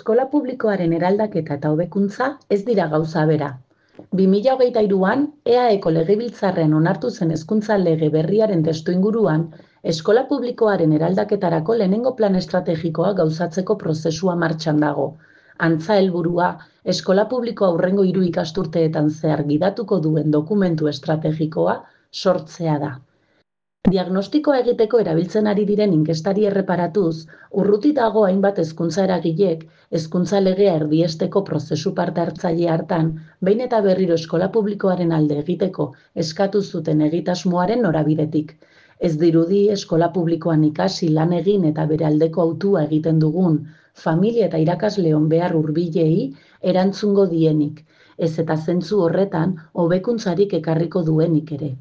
Eskola publikoaren eraldaketa eta hobekuntza ez dira gauza bera. 2023an, EAEko Legebiltzarrean onartu zen hezkuntza lege berriaren testuinguruan, eskola publikoaren eraldaketarako lehenengo plan estrategikoa gauzatzeko prozesua martxan dago. Antza helburua, eskola publikoa hurrengo 3 ikasturteetan zehar gidatuko duen dokumentu estrategikoa sortzea da. Diagnostikoa egiteko erabiltzen ari diren inkestari erreparatuz, urruti dago hainbat hezkuntza eragilek, hezkuntza legea erdiesteko prozesu parte hartzaile hartan, behin eta berriro eskola publikoaren alde egiteko eskatu zuten egitasmoaren norabidetik. Ez dirudi eskola publikoan ikasi lan egin eta bere aldeko hautua egiten dugun, familia eta irakasleon behar hurbilei erantzungo dienik, ez eta zentzu horretan hobekuntzarik ekarriko duenik ere.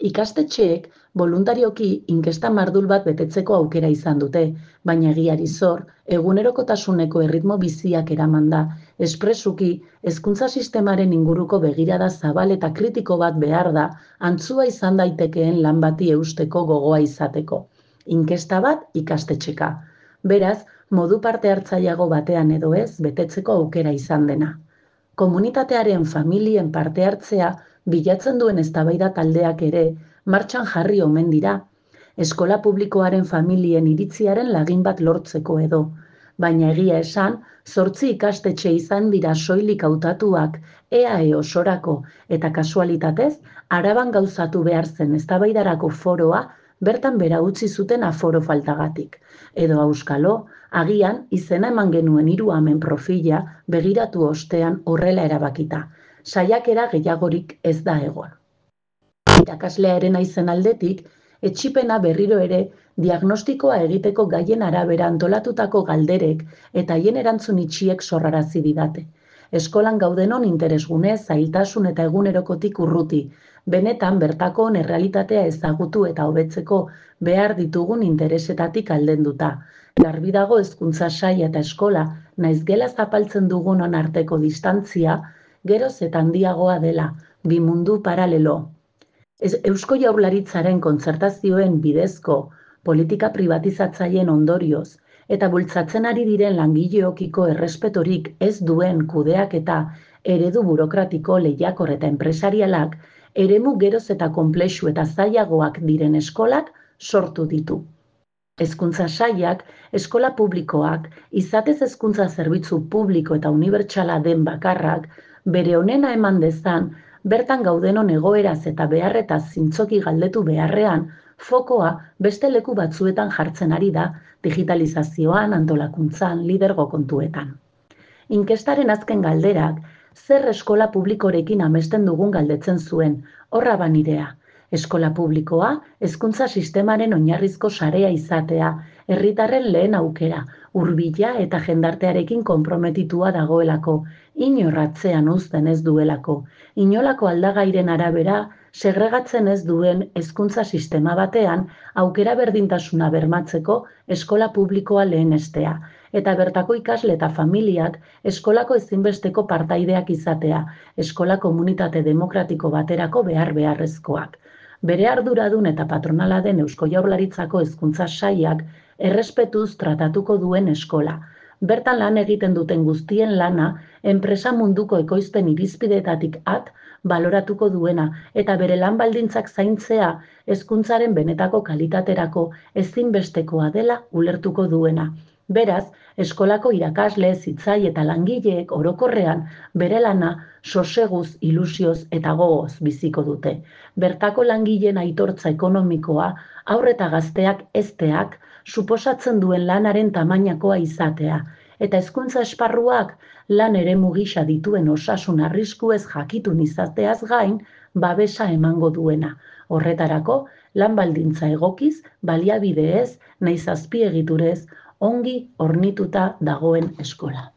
Ikastetxeek boluntarioki inkesta mardul bat betetzeko aukera izan dute, baina egiari zor, egunerokotasuneko erritmo biziak eraman da, espresuki hezkuntza sistemaren inguruko begirada zabal eta kritiko bat behar da, antzua izan daitekeen lan bati eusteko gogoa izateko. Inkesta bat ikastetxeka. Beraz, modu parte hartzaileago batean edo ez betetzeko aukera izan dena. Komunitatearen familien parte hartzea bilatzen duen eztabaida taldeak ere martxan jarri omen dira, eskola publikoaren familien iritziaren lagin bat lortzeko edo. Baina egia esan, 8 ikastetxe izan dira soilik hautatuak EAE osorako eta kasualitatez, Araban gauzatu behar zen eztabaidarako foroa bertan bera utzi zuten aforo faltagatik. Edo auskalo, agian izena eman genuen 3 amen profila begiratu ostean horrela erabakita. Saiakera gehiagorik ez da egon. Irakaslearen naizen aldetik, etxipena berriro ere diagnostikoa egiteko gaien arabera antolatutako galderek eta haien erantzun itxiek sorrarazi didate. Eskolan gaudenon interesgune, zailtasun eta egunerokotik urruti, benetan bertakoon errealitatea ezagutu eta hobetzeko behar ditugun interesetatik aldenduta. Garbi dago hezkuntza saila eta eskola, naiz gela zapaltzen dugunon arteko distantzia, geroz eta handiagoa dela, bi mundu paralelo. Eusko Jaurlaritzaren kontzertazioen bidezko politika pribatizatzaileen ondorioz eta bultzatzen ari diren langileokiko errespetorik ez duen kudeaketa eredu burokratiko lehiakor eta enpresarialak eremu geroz eta konplexu eta zailagoak diren eskolak sortu ditu. Hezkuntza sailak, eskola publikoak, izatez hezkuntza zerbitzu publiko eta unibertsala den bakarrak, bere onena eman dezan, bertan gaudenon egoeraz eta beharretaz zintzoki galdetu beharrean, fokoa beste leku batzuetan jartzen ari da, digitalizazioan, antolakuntzan, lidergo kontuetan. Inkestaren azken galderak, zer eskola publikorekin amesten dugun galdetzen zuen, horra banirea. Eskola publikoa, hezkuntza sistemaren oinarrizko sarea izatea, herritarren lehen aukera, hurbila eta jendartearekin konprometitua dagoelako, inor atzean uzten ez duelako, inolako aldagairen arabera segregatzen ez duen hezkuntza sistema batean aukera berdintasuna bermatzeko eskola publikoa lehenestea, eta bertako ikasle eta familiak eskolako ezinbesteko partaideak izatea, eskola komunitate demokratiko baterako beharrezkoak. Bere arduradun eta patronala den Eusko Jaurlaritzako hezkuntza sailak errespetuz tratatuko duen eskola. Bertan lan egiten duten guztien lana, enpresa munduko ekoizpen irizpideetatik baloratuko duena eta bere lan baldintzak zaintzea hezkuntzaren benetako kalitaterako ezinbestekoa dela ulertuko duena. Beraz, eskolako irakasle, zitzai eta langileek orokorrean bere lana soseguz, ilusioz eta gogoz biziko dute. Bertako langileen aitortza ekonomikoa, haur eta gazteak hezteak, suposatzen duen lanaren tamainakoa izatea, eta hezkuntza esparruak lan eremu gisa dituen osasun arriskuez jakitun izateaz gain, babesa emango duena. Horretarako, lan baldintza egokiz, baliabideez, nahiz azpiegiturez, ongi hornituta dagoen eskola.